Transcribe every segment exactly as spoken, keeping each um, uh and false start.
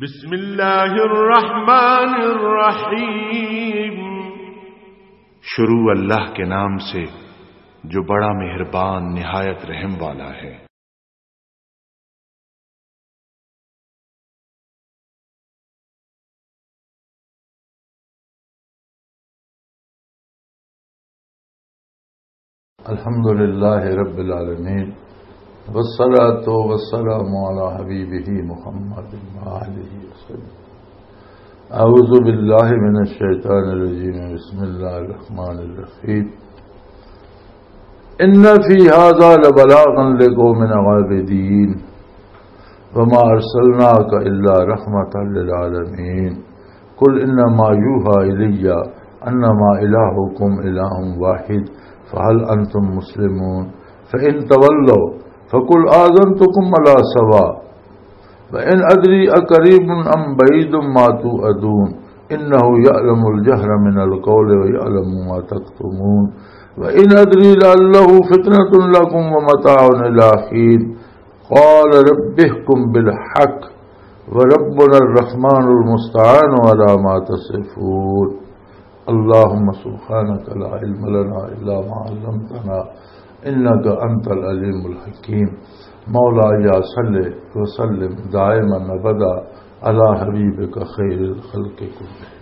بسم اللہ الرحمن الرحیم۔ شروع اللہ کے نام سے، جو بڑا مہربان، نہایت رحم والا ہے۔ الحمد لله رب العالمين، والصلاة والسلام على حبيبه محمد وآله وسلم. أعوذ بالله من الشيطان الرجيم. بسم الله الرحمن الرحيم. إن في هذا لبلاغا لقوم عابدين. وما أرسلناك إلا رحمة للعالمين. قل إنما يوحى إلي أنما إلهكم إله واحد فهل أنتم مسلمون. فإن تولوا فقل آذنتكم على سواء. وإن أدري أقريب أم بعيد ما توعدون. إنه يعلم الجهر من القول ويعلم ما تكتمون. وإن أدري لعله فتنة لكم ومتاع إلى حين. قال رب احكم بالحق وربنا الرحمن المستعان على ما تصفون. اللهم سبحانك لا علم لنا إلا ما علمتنا إنك أنت العليم الحكيم. مولاي صل وسلم دائما أبدا على حبيبك خير الخلق كلهم.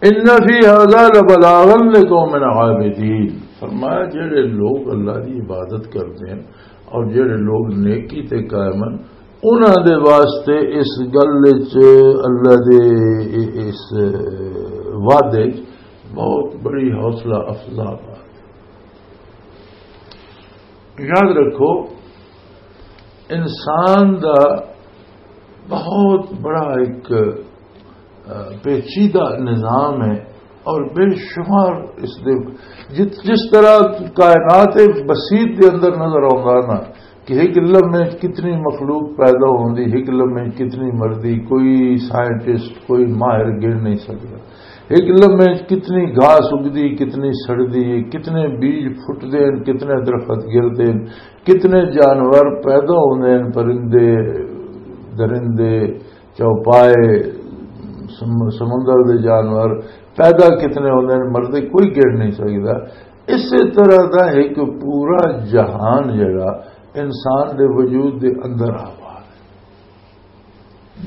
ان فی ھذا لبلاغا لقوم عابدین۔ فرمایا، جڑے لوگ اللہ دی عبادت کردے ہیں اور جڑے لوگ نیکی تے قائم ہیں، انہاں دے واسطے اس گل وچ، اللہ دے اس وعدے وچ بہت بڑی حوصلہ افزا بات۔ یاد رکھو، انسان دا بہت بڑا ایک، آ، پیچیدہ نظام ہے اور بے شمار اس دے، جت-، جس طرح کائنات بسیط دے اندر نظر آوندا نا کہ ایک لمحے وچ کتنی مخلوق پیدا ہوندی، ایک لمحے وچ کتنی مردی، کوئی سائنٹسٹ، کوئی ماہر گن نہیں سکدا۔ ایک لمحے وچ کتنی گھاس اگدی، کتنی سڑدی، کتنے بیج پھٹدے ہیں، کتنے درخت گردے ہیں، کتنے جانور پیدا ہوندے ہیں، پرندے، درندے، چوپائے، سم-، سمندر دے جانور پیدا کتنے ہوندے ہیں، مردے کوئی گن نہیں سکدا۔ اسی طرح دا ایک پورا جہان جڑا انسان دے وجود دے اندر آباد ہے۔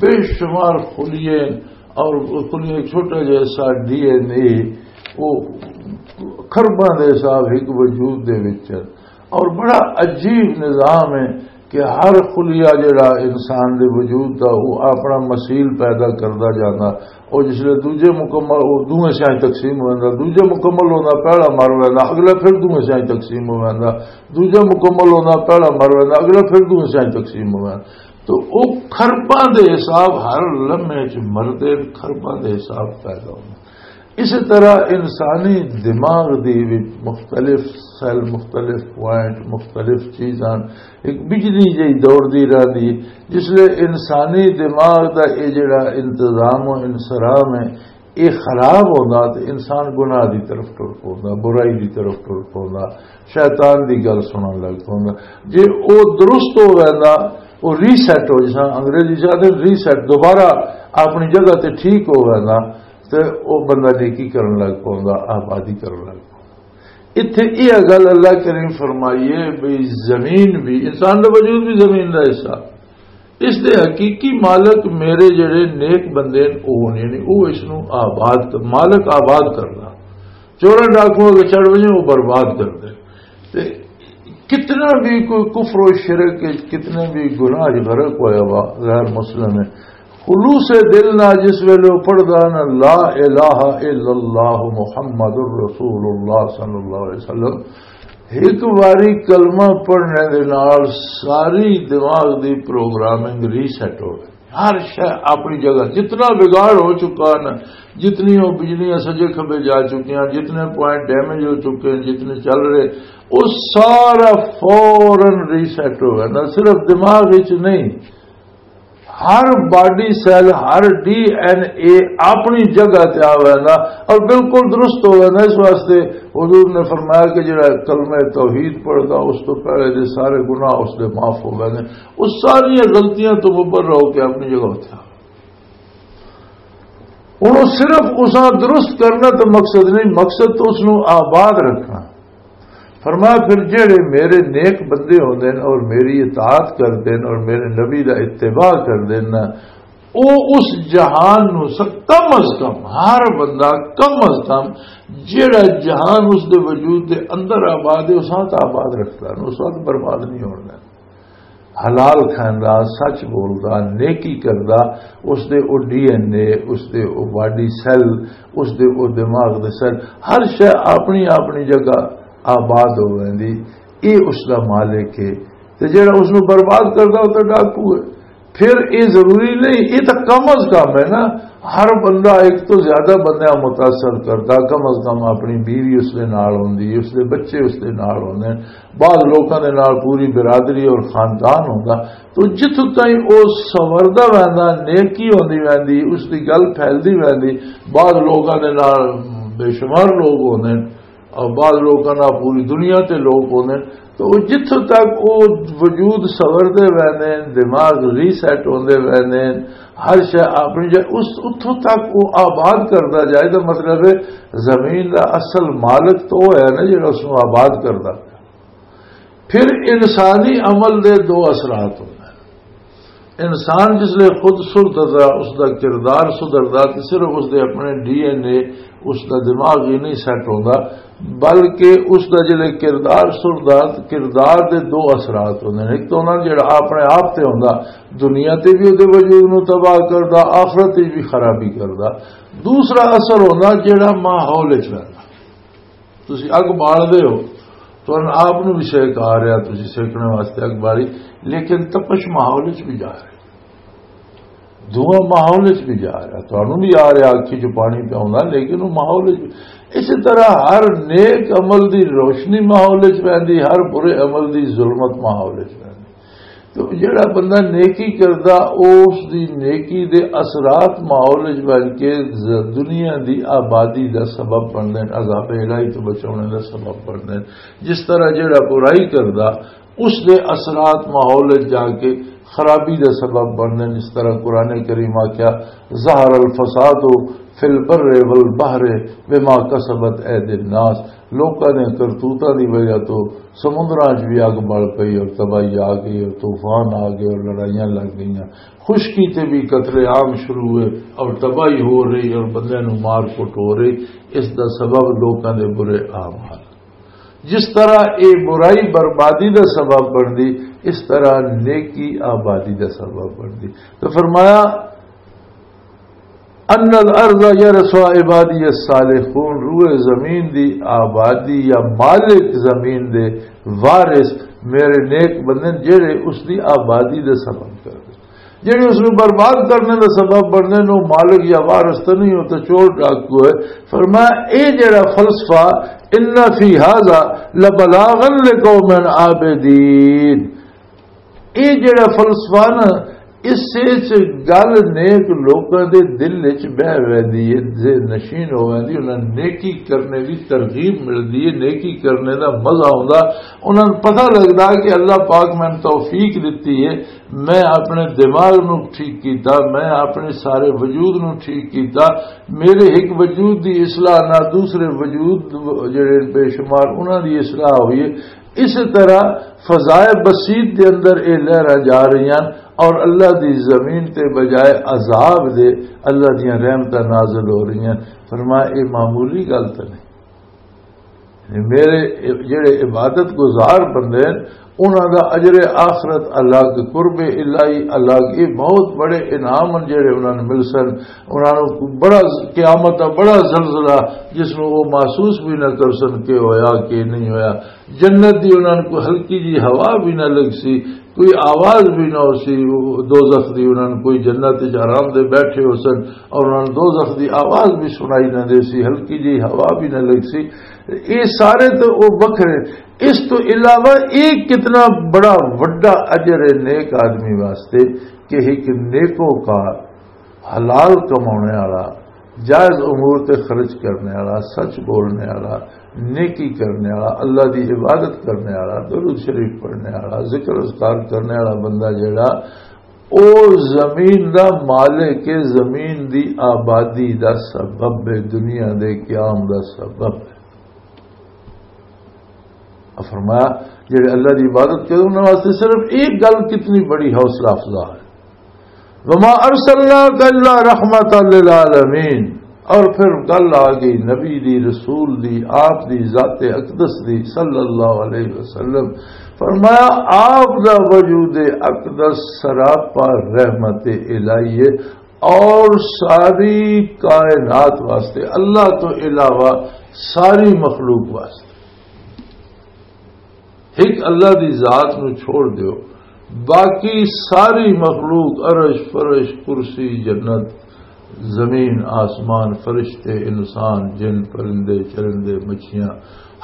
بے شمار خلیے، اور خلیے چھوٹا جیسا ڈی این اے، وہ کھرباں دے حساب ایک وجود دے وچ ہے۔ اور بڑا عجیب نظام ہے کہ ہر خلیہ جڑا انسان دے وجود دا، وہ اپنا مثیل پیدا کردا جاندا۔ اور جس لے دوجے مکمل، وہ دوویں سیاں تقسیم ہو جاندا، دوجے مکمل ہوندا، پہلا مر ویندا، اگلا پھر دوویں سیاں تقسیم ہو ویندا، دوجا مکمل ہوندا، پہلا مر ویندا، اگلا پھر دوویں سیاں تقسیم ہو ویندا۔ تو او کھرباں دے حساب ہر لمحے چ مردے، کھرباں دے حساب پیدا ہوندے۔ اسی طرح انسانی دماغ دی وچ مختلف سیل، مختلف پوائنٹ، مختلف چیزاں، ایک بجلی جہی دوڑدی رہندی۔ جس لے انسانی دماغ دا اے جڑا انتظام و انصرام ہے، یہ خراب ہوندا تے انسان گناہ دی طرف ٹر پوندا، برائی دی طرف ٹر پوندا، شیطان دی گل سنن لگ پوندا۔ جے او درست ہو ویندا، او ری سیٹ ہو، جس انگریزی چاہتے ری سیٹ، دوبارہ اپنی جگہ تے ٹھیک ہو ویندا، تے او بندہ نیکی کرن لگ پوندا، آبادی کرن لگ پوندا۔ اتھے یہ گل اللہ کریم فرمائیے، بھئی زمین بھی، انسان دا وجود بھی زمین دا حصہ، اس دے حقیقی مالک میرے جڑے نیک بندے نے، او ہونے نے، او اس نو آباد کر، مالک آباد کرنا۔ چوراں ڈاکواں کے چڑھ وجے، او برباد کر دے۔ تے کتنا بھی کوئی کفر و شرک، کتنے بھی گناہ چ غرق ہویا وا، غیر مسلم ہے، خلوص دل نہ جس ویلے او پڑھدا نا، لا الہ الا اللہ محمد رسول اللہ صلی اللہ علیہ وسلم، ایک واری کلمہ پڑھنے دے نال ساری دماغ دی پروگرامنگ ری سیٹ ہو گئی۔ ہر شے اپنی جگہ، جتنا بگاڑ ہو چکا نا، جتنی وہ بجلیاں سجے کھبے جا چکی ہیں، جتنے پوائنٹ ڈیمیج ہو چکے ہیں، جتنے چل رہے، وہ سارا فوراً ری سیٹ ہو گیا۔ نہ صرف دماغ وچ نہیں، ہر باڈی سیل، ہر ڈی این اے اپنی جگہ تے آ ویندا اور بالکل درست ہو ویندا۔ اس واسطے حضور نے فرمایا کہ جڑا کلمہ توحید پڑھدا، اس تو پہلے دے سارے گناہ اس دے معاف ہو گئے نے۔ اس ساری غلطیاں تو مبرا ہو کے اپنی جگہ اتھا۔ ہن او صرف اساں درست کرنا تے مقصد نہیں، مقصد تو اس نوں آباد رکھنا۔ فرمایا، پھر جڑے میرے نیک بندے ہوندے نے اور میری اطاعت کردے نے اور میرے نبی دا اتباع کردے نے، او اس جہان نوں س-، کم از کم، ہر بندہ کم از کم جڑا جہان اس دے وجود دے اندر آباد ہے، اس وقت آباد رکھدا ہے، اس وقت برباد نہیں ہونا۔ حلال کھاندا، سچ بولدا، نیکی کردا، اس دے او ڈی این اے، اس دے او باڈی سیل، اس دے او دماغ دے سیل، ہر شے اپنی اپنی جگہ آباد ہو ویندی۔ اے اس دا مالک ہے۔ تے جڑا اس نوں برباد کردا، او تے ڈاکو ہے۔ پھر اے ضروری نہیں، اے تاں کم از کم ہے نا، ہر بندہ ایک تو زیادہ بندہ متاثر کردا، کم از کم اپنی بیوی اس دے نال ہوندی، اس دے بچے اس دے نال ہوندے، بعض لوکاں دے نال پوری برادری اور خاندان ہوندا۔ تو جتھوں تائیں او سنوردا ویندا، نیکی ہوندی ویندی، اس دی گل پھیلدی ویندی، بعض لوکاں دے نال بے شمار لوگ ہوندے، اور بعض لوکاں نال پوری دنیا تے لوگ ہوندے، تو او جتھوں تک او وجود سنوردے ویندے، دماغ ری سیٹ ہوندے ویندے، ہر شے اپنی جگہ، اس اتھوں تک او آباد کردا جائے۔ تو مطلب ہے، زمین دا اصل مالک تو او ہے نا، جڑا اس نوں آباد کردا۔ پھر انسانی عمل دے دو اثرات ہوندے۔ انسان جس لئے خود سدھردا، اس دا کردار سدھردا، تے صرف اس دے اپنے ڈی این اے، اس دا دماغ ہی نہیں سیٹ ہوندا، بلکہ اس دا جلے کردار سدھردا، کردار دے دو اثرات ہوندے نے۔ ایک تو ہونا جڑا اپنے آپ تے ہوندا، دنیا تے بھی اودے وجود نوں تباہ کردا، آخرت وچ بھی خرابی کردا۔ دوسرا اثر ہوندا جڑا ماحول وچ رہندا۔ تسی اگ بال دے ہو، تہن آپ نو بھی سیک آ رہا، تسی سیکنے واسطے اگ بالی، لیکن تپش ماحول وچ بھی جا رہی، دھواں ماحول وچ بھی جا رہا، تہانوں بھی آ رہا، اکھی چ پانی پیا ہوندا، لیکن وہ ماحول وچ بھی۔ اسی طرح ہر نیک عمل دی روشنی ماحول وچ پیندی، ہر برے عمل دی ظلمت ماحول وچ پیندی۔ تو جڑا بندہ نیکی کردا، اس دی نیکی دے اثرات ماحول وچ بن کے ز-، دنیا دی آبادی دا سبب بندے نے، عذاب الہی تو بچاونے دا سبب بندے نے۔ جس طرح جڑا برائی کردا، اس دے اثرات ماحول وچ جا کے خرابی دا سبب بندے نے۔ اس طرح قرآن کریم آکھیا، "ظہر الفساد فی البر والبحر بما کسبت ایدی الناس"، لوکاں دے کرتوتاں دی وجہ تو سمندراں 'چ بھی اگ بل پئی اور تباہی آ گئی اور طوفان آ گئے اور لڑائیاں لگ گئیاں۔ خشکی تے بھی قتل عام شروع ہوئے اور تباہی ہو رہی اور بندے نوں مار کٹ ہو رہی۔ اس دا سبب لوکاں دے برے اعمال۔ جس طرح اے برائی بربادی دا سبب بندی، اس طرح نیکی آبادی دا سبب بندی۔ تو فرمایا، ان الارض یرثها عبادی الصالحون، روئے زمین دی آبادی یا مالک زمین دے وارث میرے نیک بندے نے، جڑے اس دی آبادی دے سبب کر دے، جڑے اس نوں برباد کرنے دا سبب بننے نوں مالک یا وارث تے نہیں ہو، تے چور ڈاکو ہے۔ فرمایا، اے جڑا فلسفہ، ان فی ھذا لبلاغا لقوم عابدین، اے جڑا فلسفہ نا، اس وچ گل نیک لوکاں دے دل وچ بہ ویندی ہے، ذہن نشین ہو ویندی، انہاں نوں نیکی کرنے دی ترغیب ملدی ہے، نیکی کرنے دا مزہ آوندا، انہاں نوں پتہ لگدا کہ اللہ پاک میں توفیق دتی ہے، میں اپنے دماغ نوں ٹھیک کیتا، میں اپنے سارے وجود نوں ٹھیک کیتا، میرے ایک وجود دی اصلاح نہ دوسرے وجود جڑے بے شمار انہاں دی اصلاح ہوئی ہے۔ اس طرح فضائے بسیط دے اندر اے لہراں جا رہی ہیں اور اللہ دی زمین تے بجائے عذاب دے اللہ دیاں رحمتاں نازل ہو رہی ہیں۔ فرمایا، اے معمولی گل تے نہیں۔ یعنی میرے جڑے عبادت گزار بندے ہیں، انہاں دا اجر آخرت الگ، قرب الہی الگ، یہ بہت بڑے انعام ہیں جڑے انہاں نوں مل سن۔ انہاں نوں بڑا، قیامت دا بڑا زلزلہ جس نوں وہ محسوس بھی نہ کر سن کہ ہویا کہ نہیں ہویا۔ جنت دی انہاں نوں کوئی ہلکی جی ہوا بھی نہ لگ سی، کوئی آواز بھی نہ ہو سی دوزخ دی۔ انہاں نوں کوئی جنت وچ آرام دے بیٹھے ہو سن اور انہاں نوں دوزخ دی آواز بھی سنائی نہ دے سی، ہلکی جی ہوا بھی نہ لگ سی۔ یہ سارے تو وہ وکھرے۔ اس تو علاوہ یہ کتنا بڑا وڈا اجر ہے نیک آدمی واسطے کہ ایک نیکوکار، حلال کمانے والا، جائز امور تے خرچ کرنے والا، سچ بولنے والا، نیکی کرنے والا، اللہ دی عبادت کرنے والا، درود شریف پڑھنے والا، ذکر اذکار کرنے والا بندہ جڑا، او زمین دا مالک ہے، زمین دی آبادی دا سبب ہے، دنیا دے قیام دا سبب ہے۔ اور فرمایا، جڑے اللہ دی عبادت کرے، انہاں واسطے صرف ایک گل کتنی بڑی حوصلہ افزا ہے، وما ارسلناک الا رحمتا للعالمین۔ اور پھر گل آ گئی نبی دی، رسول دی، آپ دی ذات اقدس دی صلی اللہ علیہ وسلم۔ فرمایا، آپ دا وجود اقدس سراپا رحمت الہی ہے، اور ساری کائنات واسطے، اللہ تو علاوہ ساری مخلوق واسطے۔ ایک اللہ دی ذات نو چھوڑ دیو، باقی ساری مخلوق، عرش، فرش، کرسی، جنت، زمین، آسمان، فرشتے، انسان، جن، پرندے، چرندے، مچھیاں،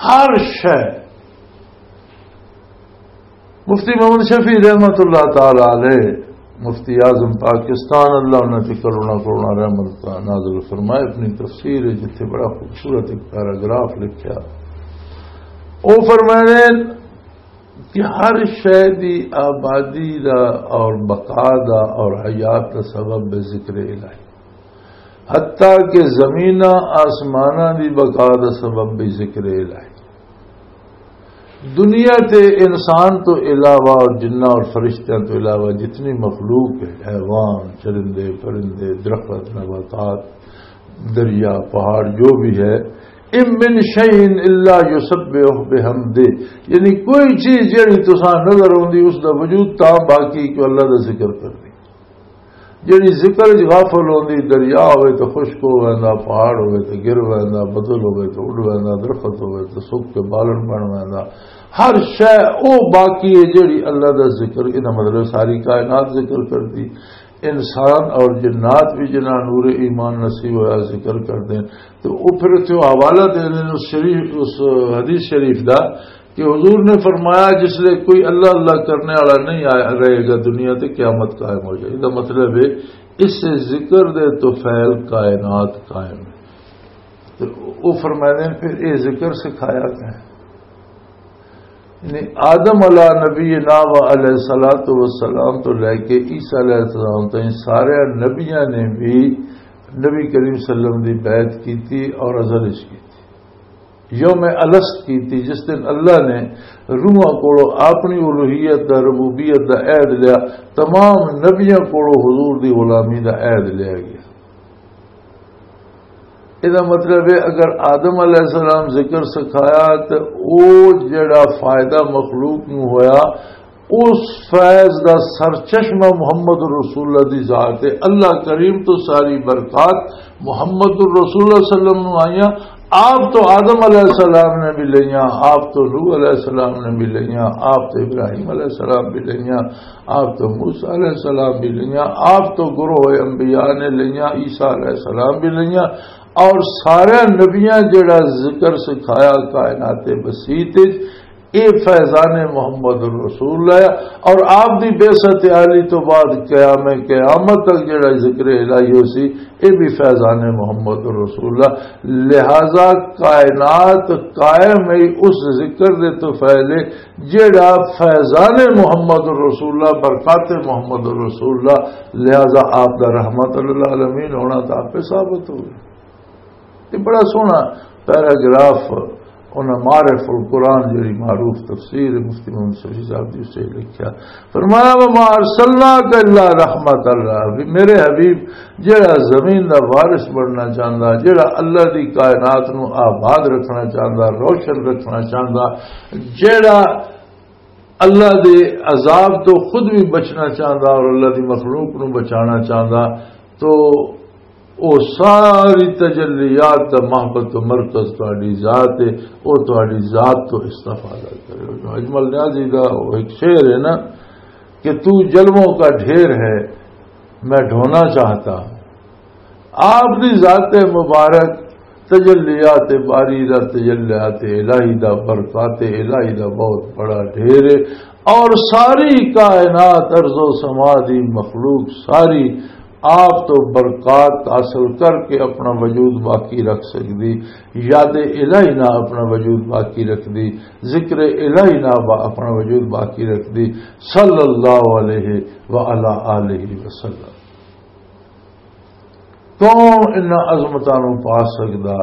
ہر شے۔ مفتی محمد شفیع رحمت اللہ تعالی علیہ، مفتی اعظم پاکستان، اللہ انہاں تے کروڑاں کروڑاں رحمت نازل فرمائے، اپنی تفسیر ہے جتھے بڑا خوبصورت ایک پیراگراف لکھیا۔ او فرمائے کہ ہر شے دی آبادی دا اور بقا دا اور حیات دا سبب ہے ذکر الہی، حتیٰ کہ زمیناں آسماناں دی بقا دا سبب بھی ذکر الہی۔ دنیا تے انسان تو علاوہ اور جناں اور فرشتیاں تو علاوہ جتنی مخلوق ہے، حیوان، چرندے، پرندے، درخت، نباتات، دریا، پہاڑ، جو بھی ہے، ان من شیء الا یسبح بحمدہ، یعنی کوئی چیز جڑی تساں نظر آندی، اس دا وجود تاں باقی کہ اللہ دا ذکر کردی۔ جڑی ذکر وچ غافل ہوندی، دریا ہوئے تو خشک ہو ویندا، پہاڑ ہوئے تو گر ویندا، بدل ہوئے تو اڈ ویندا، درخت ہوئے تو سک کے بالن بن ویندا۔ ہر شے او باقی ہے جڑی اللہ دا ذکر، اے دا مطلب ساری کائنات ذکر کردی۔ انسان اور جنات بھی جنہاں نور ایمان نصیب ہویا ذکر کردے ہیں۔ تو او پھر اتھے حوالہ دے دے اس شریف، اس حدیث شریف دا کہ حضور نے فرمایا، جس لئے کوئی اللہ اللہ کرنے والا نہیں آیا، رہے گا دنیا تے قیامت قائم ہو جائے۔ اے دا مطلب ہے، اس ذکر دے تو فعل کائنات قائم ہے۔ تو او فرماتے ہیں، پھر اے ذکر سکھایا گیا ہے۔ یعنی آدم علیہ نبینا و علیہ الصلوۃ والسلام تو لے کے عیسیٰ علیہ السلام تائیں سارے نبیاں نے بھی نبی کریم صلی اللہ علیہ وسلم دی بیعت کی تھی اور ازل اچ کی تھی۔ یوم الست کی تھی، جس دن اللہ نے روحاں کولوں اپنی الوہیت دا، ربوبیت دا عہد لیا، تمام نبیاں کولوں حضور دی غلامی دا عہد لیا گیا۔ اے دا مطلب ہے، اگر آدم علیہ السلام ذکر سکھایا تے او جڑا فائدہ مخلوق نو ہویا، اس فیض دا سرچشمہ محمد رسول اللہ دی ذات ہے۔ اللہ کریم تو ساری برکات محمد رسول اللہ صلی اللہ علیہ وسلم نو آئیاں۔ آپ تو آدم علیہ السلام نے بھی لئیاں، آپ تو نوح علیہ السلام نے بھی لئیاں، آپ تو ابراہیم علیہ السلام بھی لئیاں، آپ تو موسیٰ علیہ السلام بھی لئیاں، آپ تو گروہ انبیاء نے لئیاں، عیسیٰ علیہ السلام بھی لئیاں، اور سارے نبیاں جڑا ذکر سکھایا کائنات بسیط وچ، اے فیضان محمد رسول اللہ ہے۔ اور آپ دی بعثت عالی تو بعد قیام قیامت تک جڑا ذکر الہی ہو سی، اے بھی فیضان محمد رسول اللہ۔ لہذا کائنات قائم ہے اس ذکر دے تو پہلے جڑا فیضان محمد رسول اللہ، برکات محمد رسول اللہ، لہذا آپ دا رحمت للعالمین ہونا تو آپ پہ ثابت ہو گیا۔ یہ بڑا سوہنا پیراگراف انہاں معرف القرآن جڑی معروف تفسیر ہے مفتی محمد شفیع صاحب دی، اس نے لکھیا۔ فرمایا، "وما ارسلناک الا رحمت اللہ"، بھی میرے حبیب جڑا زمین دا وارث بننا چاہندا، جڑا اللہ دی کائنات نو آباد رکھنا چاہندا، روشن رکھنا چاہندا، جڑا اللہ دے عذاب تو خود بھی بچنا چاہندا اور اللہ دی مخلوق نو بچانا چاہندا، تو او ساری تجلیات دا محبت و مرکز تہاڈی ذات ہے، او تہاڈی ذات تو استفادہ کرے۔ جو اجمل نیازی دا او ایک شعر ہے نا کہ "تو جلووں کا ڈھیر ہے، میں ڈھونا چاہتا ہوں۔" آپ دی ذات مبارک تجلیات باری دا، تجلیات الہی دا، برکات الہی دا بہت بڑا ڈھیر ہے، اور ساری کائنات، ارض و سما دی مخلوق ساری آپ تو برکات حاصل کر کے اپنا وجود باقی رکھ سکدی، یاد الہی نہ اپنا وجود باقی رکھدی، ذکر الہی نہ با-، اپنا وجود باقی رکھدی، صلی اللہ علیہ وعلی آلہ وسلم۔ کون انہاں عظمتاں نوں پا سکدا؟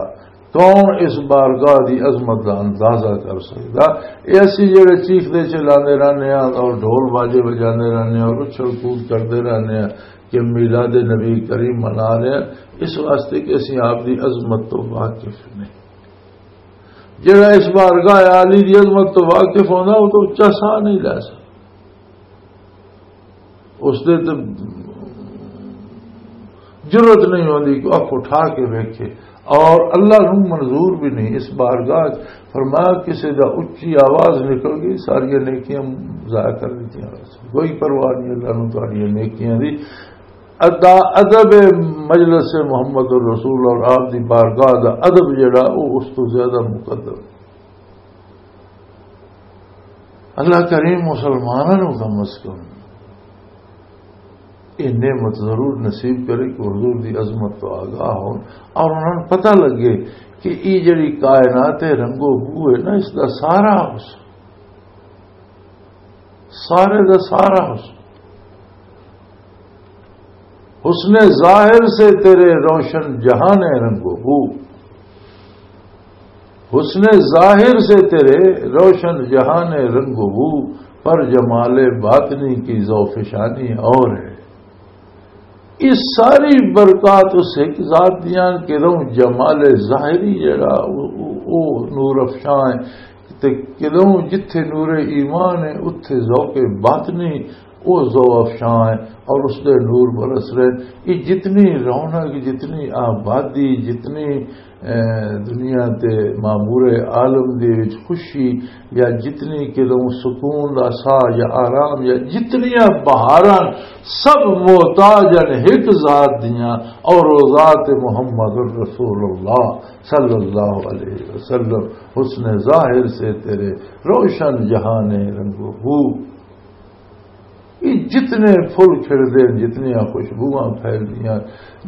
کون اس بارگاہ دی عظمت دا اندازہ کر سکدا؟ اے اسی جڑے چیخدے چلاندے رہنے ہاں اور ڈھول باجے بجاندے رہنے ہاں اور اچھل کود کردے رہنے ہاں کہ میلاد نبی کریم منا رہے ہیں، اس واسطے کہ اسی آپ دی عظمت تو واقف نہیں۔ جڑا اس بارگاہ عالی دی عظمت تو واقف ہونا، وہ تو اچا ساہ نہیں لے سکدا۔ اس دے تے جرات نہیں ہوندی کہ اکھ اٹھا کے ویکھے۔ اور اللہ نوں منظور بھی نہیں اس بارگاہ چ۔ فرمایا، کسی دا اچی آواز نکل گئی، ساری نیکیاں ضائع کر دتیاں۔ کوئی پرواہ نہیں اللہ نوں تہاڈیاں نیکیاں دی۔ ادا ادب مجلس محمد الرسول اور آپ دی بارگاہ دا ادب جڑا، وہ اس تو زیادہ مقدم۔ اللہ کریم مسلمانوں نوں کم از کم یہ نعمت ضرور نصیب کرے کہ حضور دی عظمت تو آگاہ ہون اور انہاں نوں پتہ لگے کہ یہ جڑی کائنات ہے، رنگ و بو ہے نا، اس دا سارا حسن، سارے دا سارا حسن، حسن ظاہر سے تیرے روشن جہان رنگ و بو، حسن ظاہر سے تیرے روشن جہان رنگ و بو، پر جمال باطنی کی ذوف شانی اور ہے۔ یہ ساری برکات اس ایک ذات دیاں کہ لوں جمال ظاہری جڑا او، او، او نور افشاں ہے، تے کہ لوں جتھے نور ایمان ہے، اتھے ذوق باطنی او ذوق افشاں ہے اور اس دے نور برس رہے۔ یہ جتنی رونق، جتنی آبادی، جتنی، اے، دنیا تے معمور عالم دے وچ خوشی یا جتنی کہ لوں سکون دا ساہ یا آرام یا جتنیاں بہاراں، سب محتاج ہیں ایک ذات دیاں، اور وہ ذات محمد الرسول اللہ صلی اللہ علیہ وسلم۔ حسن ظاہر سے تیرے روشن جہان رنگ و بو۔ یہ جتنے پھل کھڑدے ہیں، جتنیاں خوشبوواں پھیلدیاں،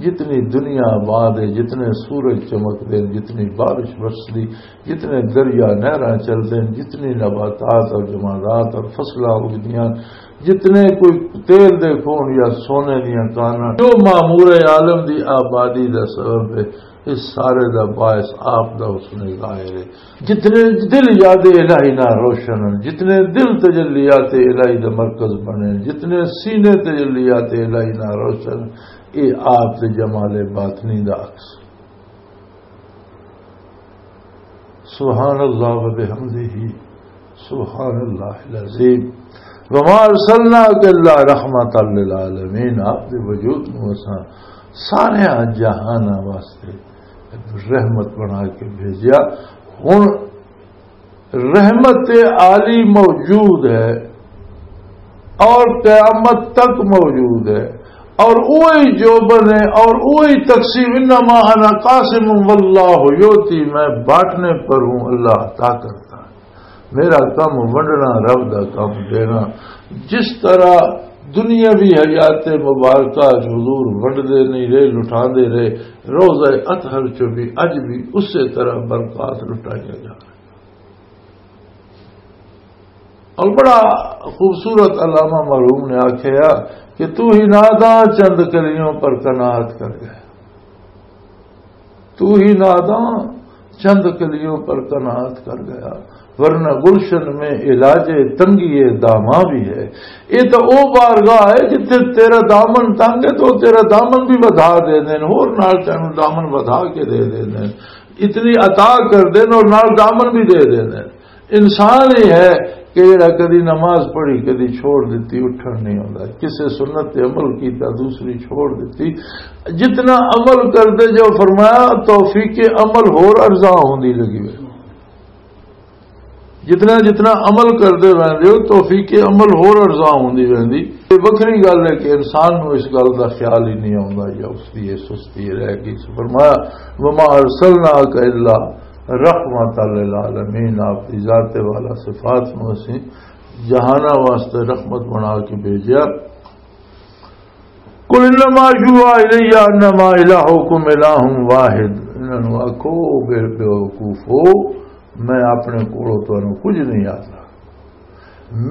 جتنی دنیا آباد ہے، جتنے سورج چمکدے ہیں، جتنی بارش برسدی، جتنے دریا نہراں چلدے ہیں، جتنی نباتات اور جمادات اور فصلاں اگدیاں، جتنے کوئی تیل دے کون یا سونے دیاں کاناں، جو معمور عالم دی آبادی دا سبب ہے، اس سارے دا باعث آپ دا حسن ظاہر ہے۔ جتنے دل یاد الہی نہ روشن ہیں، جتنے دل تجلیات الہی دا مرکز بنے، جتنے سینے تجلیات الہی نہ روشن، اے آپ دے جمال باطنی دا عکس۔ سبحان اللہ و بحمدہ، سبحان اللہ العظیم۔ وما ارسلناک الا رحمتا للعالمین، آپ دے وجود نوں اساں سارے جہاناں واسطے رحمت بنا کے بھیجیا۔ ہن رحمت عالی موجود ہے اور قیامت تک موجود ہے، اور وہی جو بنے اور وہی تقسیم، انما انا قاسم واللہ یؤتی، میں بانٹنے پر ہوں، اللہ عطا کرتا ہے۔ میرا کم ونڈنا، رب دا کم دینا۔ جس طرح دنیاوی حیات مبارکہ حضور ونڈدے نہیں رہے، لٹاندے رہے، روضہ اطہر چوں بھی اج بھی اسی طرح برکات لٹائیاں جا رہے۔ اور بڑا خوبصورت علامہ مرحوم نے آکھیا کہ تو ہی ناداں چند کلیوں پر قناعت کر گیا، تو ہی ناداں چند کلیوں پر قناعت کر گیا، ورنہ گلشن میں علاج تنگی داماں بھی ہے۔ یہ تو او بارگاہ ہے جتھے تیرا دامن تنگ ہے تو تیرا دامن بھی ودھا دے دین، ہور نال تینوں دامن ودھا کے دے دے دین، اتنی عطا کر دین اور نال دامن بھی دے دے دین۔ انسان ہی ہے کہ جڑا کدی نماز پڑھی، کدی چھوڑ دتی، اٹھن نہیں ہوندا، کسے سنت تے عمل کیتا، دوسری چھوڑ دتی۔ جتنا عمل کردے جو، فرمایا، توفیق عمل ہور ارزاں ہوندی لگی ہوئی۔ جتنا جتنا عمل کردے رہندے ہو، توفیق عمل ہور ارزاں ہوندی رہندی۔ یہ وکھری گل ہے کہ انسان نوں اس گل دا خیال ہی نہیں آوندا یا اس دی یہ سستی رہ گئی۔ فرمایا، وما ارسلناک الا رحمتا للعالمین، آپ دی ذات والا صفات نوں اسی جہاناں واسطے رحمت بنا کے بھیجیا۔ قل انما یوحی الی انما الہکم الہ واحد۔ انہاں نوں آکھو، بے، بے وقوفو، میں اپنے کولوں تانوں کچھ نہیں آتا۔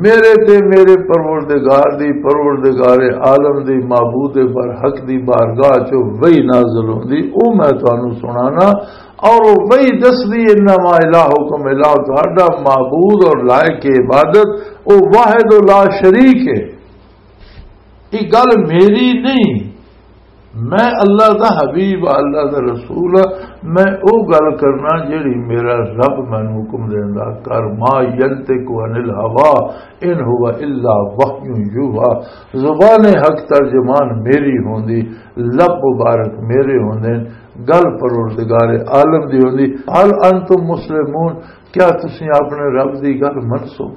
میرے تے میرے پروردگار دی، پروردگار عالم دی، معبود برحق دی بارگاہ چوں وحی نازل ہوندی، او میں تانوں سنانا۔ اور او وحی دسدی، انما الہکم الہ، تہاڈا معبود اور لائق عبادت او واحد و لا شریک ہے۔ یہ گل میری نہیں، میں اللہ دا حبیب، اللہ دا رسول ہاں۔ میں او گل کرنا جیڑی میرا رب مینوں حکم دیندا۔ کر، ما ینطق عن الہوا ان ہوا الا وحی یوحی۔ زبان حق ترجمان میری ہوندی، لب مبارک میرے ہوندے، گل پروردگار عالم دی ہوندی۔ ہل انتم مسلمون، کیا تسی اپنے رب دی گل منسو؟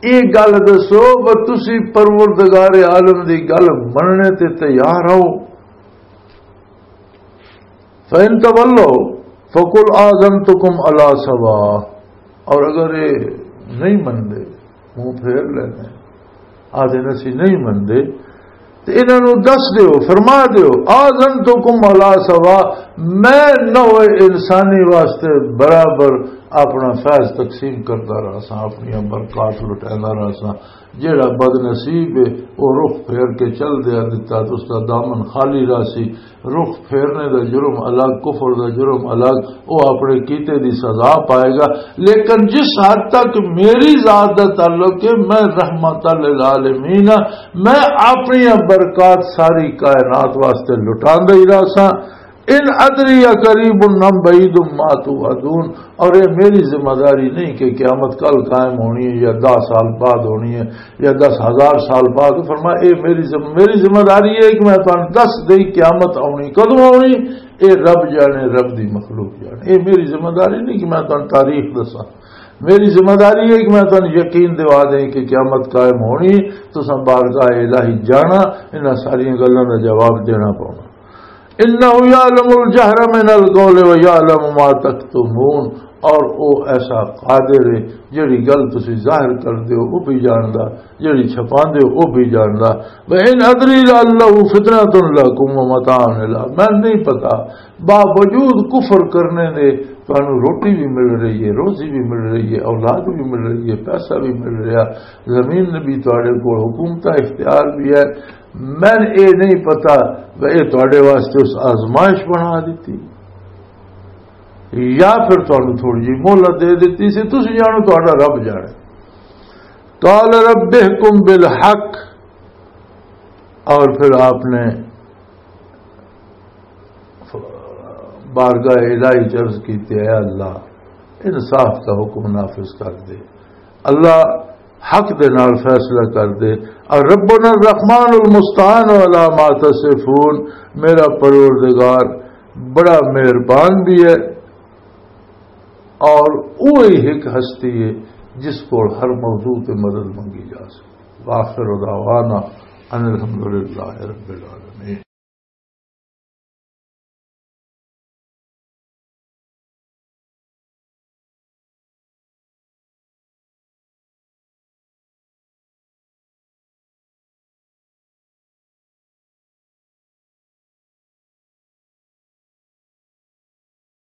یہ گل دسو، وہ تسی پروردگار عالم دی گل مننے تے تیار ہو؟ فَإِن تَوَلَّوْا فَقُلْ آذَنْتُكُمْ عَلَىٰ سَوَاءٍ، اور اگر یہ نہیں مندے، منہ پھیر لینے، آدھے اسی نہیں مندے، تے انہاں نوں دس دیو، فرما دیو، آذنتکم علی سوا، میں نوع انسانی واسطے برابر اپنا فیض تقسیم کردا رہساں، اپنی برکات لٹیندا رہساں۔ جیڑا بد نصیب ہے، او رخ پھیر کے چل دیا دتا، تے اس دا دامن خالی رہسی۔ رخ پھیرنے دا جرم الگ، کفر دا جرم الگ، او اپنے کیتے دی سزا پائے گا۔ لیکن جس حد تک میری ذات دا تعلق ہے، میں رحمت للعالمین ہاں، میں اپنی برکات ساری کائنات واسطے لٹاندا ہی رہساں۔ ان ادری اقریب ام بعید ما توعدون، اور یہ میری ذمہ داری نہیں کہ قیامت کل قائم ہونی ہے یا دس سال بعد ہونی ہے یا دس ہزار سال بعد۔ فرمایا، اے میری ذمہ، میری ذمہ داری ہے کہ میں تانوں دس دئی قیامت آونی، کدوں آونی، اے رب جانے، رب دی مخلوق جانے۔ اے میری ذمہ داری نہیں کہ میں تانوں تاریخ دساں۔ میری ذمہ داری ہے کہ میں تانوں یقین دوا دیں کہ قیامت قائم ہونی، تساں بارگاہ الہی جانا، انہاں ساریاں گلاں دا جواب دینا پونا۔ انہ یعلم الجہر من القول و یعلم ما تکتمون، اور او ایسا قادر ہے، جڑی گل تسی ظاہر کر دیو، او بھی جاندا، جڑی چھپاندے ہو، او بھی جاندا۔ و ان ادری لعلہ فتنۃ لکم و متاع الی، میں نہیں پتا، باوجود کفر کرنے دے تانوں روٹی بھی مل رہی ہے، روزی بھی مل رہی ہے، اولاد بھی مل رہی ہے، پیسہ بھی مل رہا، زمین بھی تواڈے کول، حکومت اختیار بھی ہے۔ میں اے نہیں پتا کہ اے تواڈے واسطے اس آزمائش بنا دیتی یا پھر تانوں تھوڑی جی مہلت دے دیتی سی، تسی جانو، تہاڈا رب جانے۔ قال رب احکم بالحق، اور پھر آپ نے بارگاہ الہی چ عرض کیتی، اے اللہ، انصاف کا حکم نافذ کر دے۔ اللہ حق دے نال فیصلہ کر دے۔ اور ربنا الرحمن المستعان علی ما تصفون، میرا پروردگار بڑا مہربان بھی ہے اور وہی ایک ہستی ہے جس کو ہر موضوع تے مدد منگی جا سکے۔ وآخر دعوانا ان الحمدللہ رب العالمین۔